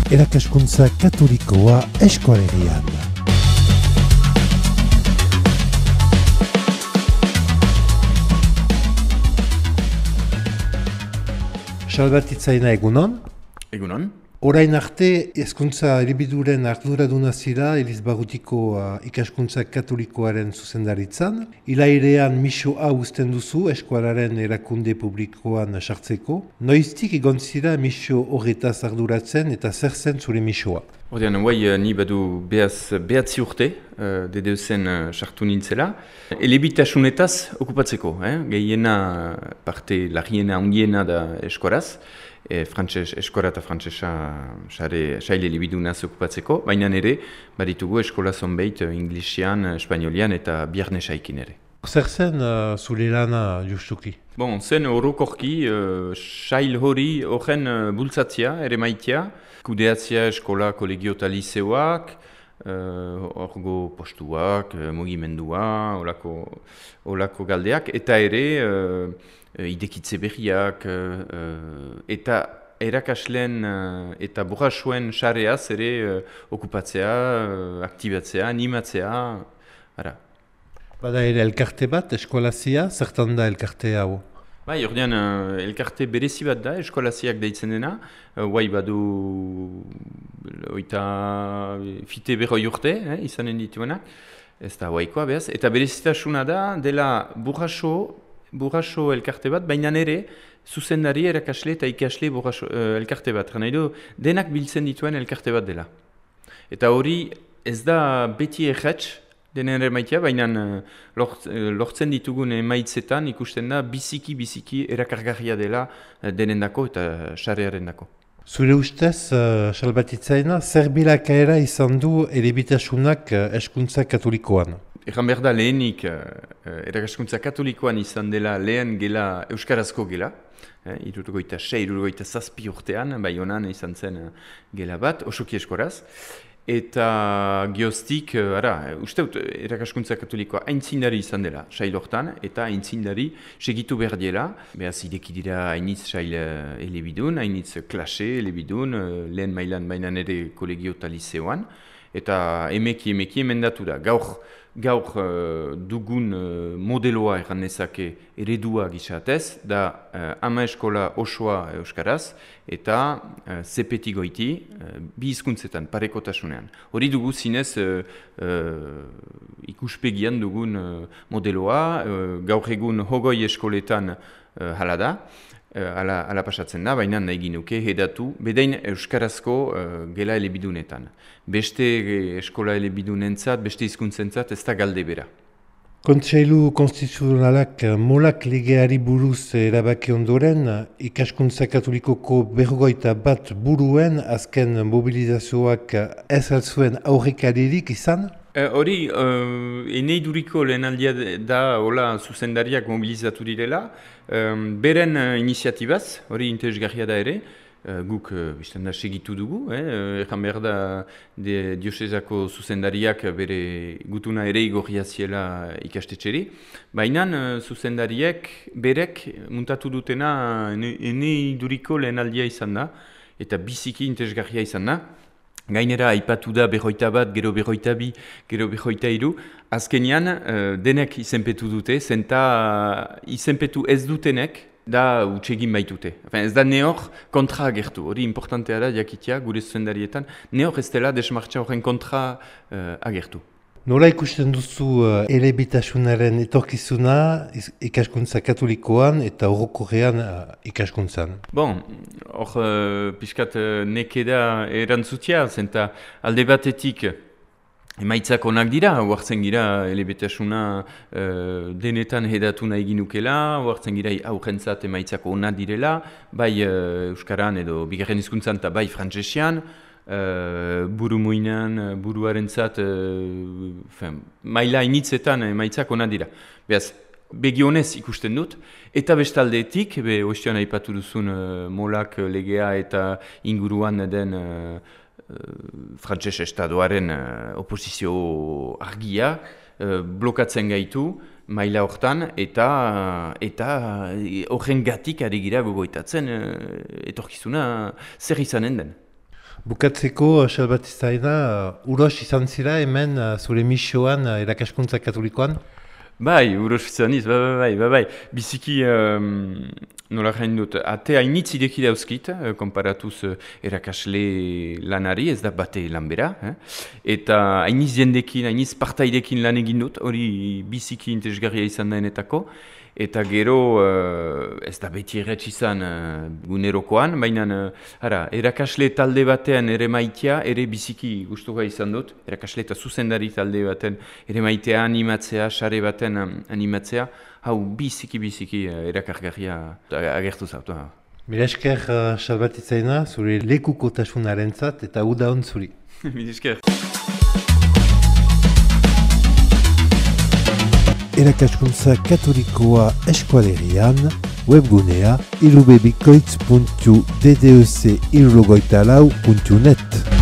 Erakaskuntza katolikoa Eskualerian. Salbatitzaina egunon. Egunon. Orain arte, hezkuntza elibiduren arduraduna zira Elizbarrutiko ikaskuntza katolikoaren zuzendaritzan. Ilairean misoa uzten duzu eskualaren erakunde publikoan sartzeko. Noiztik egon zira miso horretaz arduratzen eta zer zen zure misoa? Ordean, ni badu behatzi urte, DDEzen sartu nintzela. Elebitasunetaz okupatzeko, gehiena parte larriena ondiena da eskuaraz. Eskora eta frantsesa saile elebidunaz okupatzeko, baina ere baditugu eskola zonbait inglesian, espainolian eta biarnesaikin ere. Zer zen zure lana justuki? Zen orokorki sail hori horren bultzatzea, ere maitea, kudeatzea eskola, kolegio eta liceoak, orgo postuak, mugimendua, olako galdeak, eta ere idekitze berriak, eta erakasleen eta burrasuen sareaz ere okupatzea, aktibatzea, animatzea, ara. Bada ere elkarte bat, eskolazia, zertan da elkarte hau? Ordean, elkarte berezi bat da, eskolaziak deitzen dena, badu oita fite berroi urte, izanen dituenak, ez da haikoa behaz, eta berezitasuna da, dela burraso elkarte bat, baina ere zuzendari erakasle eta ikasle elkarte bat, nahi du, denak biltzen dituen elkarte bat dela. Eta hori ez da beti erratz, denen emaitea, baina lortzen ditugun emaitzetan ikusten da biziki erakargarria dela denendako eta sarearen dako. Zure ustez, salbatitzaina, zer bilakaera izan du elebitasunak hezkuntza katolikoan? Egan behar da lehenik erakaskuntza katolikoan izan dela lehen gela euskarazko gela, 66-67 urtean, bai honan izan zen gela bat, osoki eskoraz. Eta geoztik, usteut, erakaskuntza katolikoa aintzindari izan dela, sail hortan, eta aintzindari segitu behar dela. Behaz, ideki dira hainitz sail elebidun, hainitz klase elebidun, lehen mailan bainan ere kolegio eta liceoan, eta emeki emendatu da. Gaur dugun modeloa erran nezake eredua gizatez, da ama eskola osoa euskaraz, eta zepeti goiti, bi hizkuntzetan, parekotasunean. Hori dugu zinez ikuspegian dugun modeloa, gaur egun hogoi eskoletan hala da, ala pasatzen da, baina nahi ginuke hedatu, bedain euskarazko gela elebidunetan. Beste eskola elebidunentzat, beste hizkuntzentzat ez da galde bera. Kontseilu konstituzionalak molak legeari buruz erabaki ondoren, ikaskuntza katolikoko 51 buruen azken mobilizazioak ez altzuen aurrekaririk izan? Hori, eneiduriko lehenaldia da hola zuzendariak mobilizatu direla, beren iniziatibaz, hori interesgarria da ere, guk bizten da segitu dugu, egan behar da diosezako zuzendariak bere gutuna ere igorria ziela ikastetxeri, baina zuzendariek berek muntatu dutena eneiduriko lehenaldia izan da, eta biziki interesgarria izan da. Gainera, aipatu da 21, gero 22, gero 23, azkenean denek izenpetu dute, zenta izenpetu ez dutenek da utsegin baitute. Ez da neor kontra agertu, hori importantea da jakitea gure zuzendarietan, neor ez dela desmartza horren kontra agertu. Nola ikusten duzu elebitasunaren etorkizuna ikaskuntza katolikoan eta orokorrean ikaskuntzan? Hor pixkat nekeda erantzutia, zenta alde batetik emaitzak onak dira, huartzen gira elebitasuna denetan hedatu nahi ginukela, huartzen gira aurrentzat emaitzak onak direla, bai euskaran edo bigarren hizkuntzan eta bai frantsesian, buru muinan, buruarentzat, maila initzetan emaitzak onak dira. Beaz, begionez ikusten dut, eta bestaldetik, oiztean aipatu duzun molak legea eta inguruan den frantses estadoaren oposizio argia blokatzen gaitu maila hortan, eta horren gatik ari gira gogoitatzen etorkizuna zer izanen den. Bukatzeko, Salbatizaina, uros izan zira hemen zure misioan erakaskuntza katolikoan? Bai, uros izan iz, bai. Biziki, nola jain dut, ate hainitz ideki dauzkit, komparatuz erakasle lanari, ez da bate lanbera. Eta hainiz jendekin, hainiz partaidekin lan egin dut, hori biziki interesgarria izan daenetako. Eta gero, ez da beti erretz izan gunerokoan, baina erakasle talde batean ere maitea, ere biziki gustuko izan dut. Erakasle eta zuzendari talde batean ere maitea animatzea, sare baten animatzea, hau biziki erakargarria agertu zautu. Mila esker, Salbatizaina, zure lekukotasunarentzat eta uda hon zuri. Mila esker. Erakaskuntza katolikoa eskualerian, webgunea ilubebikoitz.ddec.net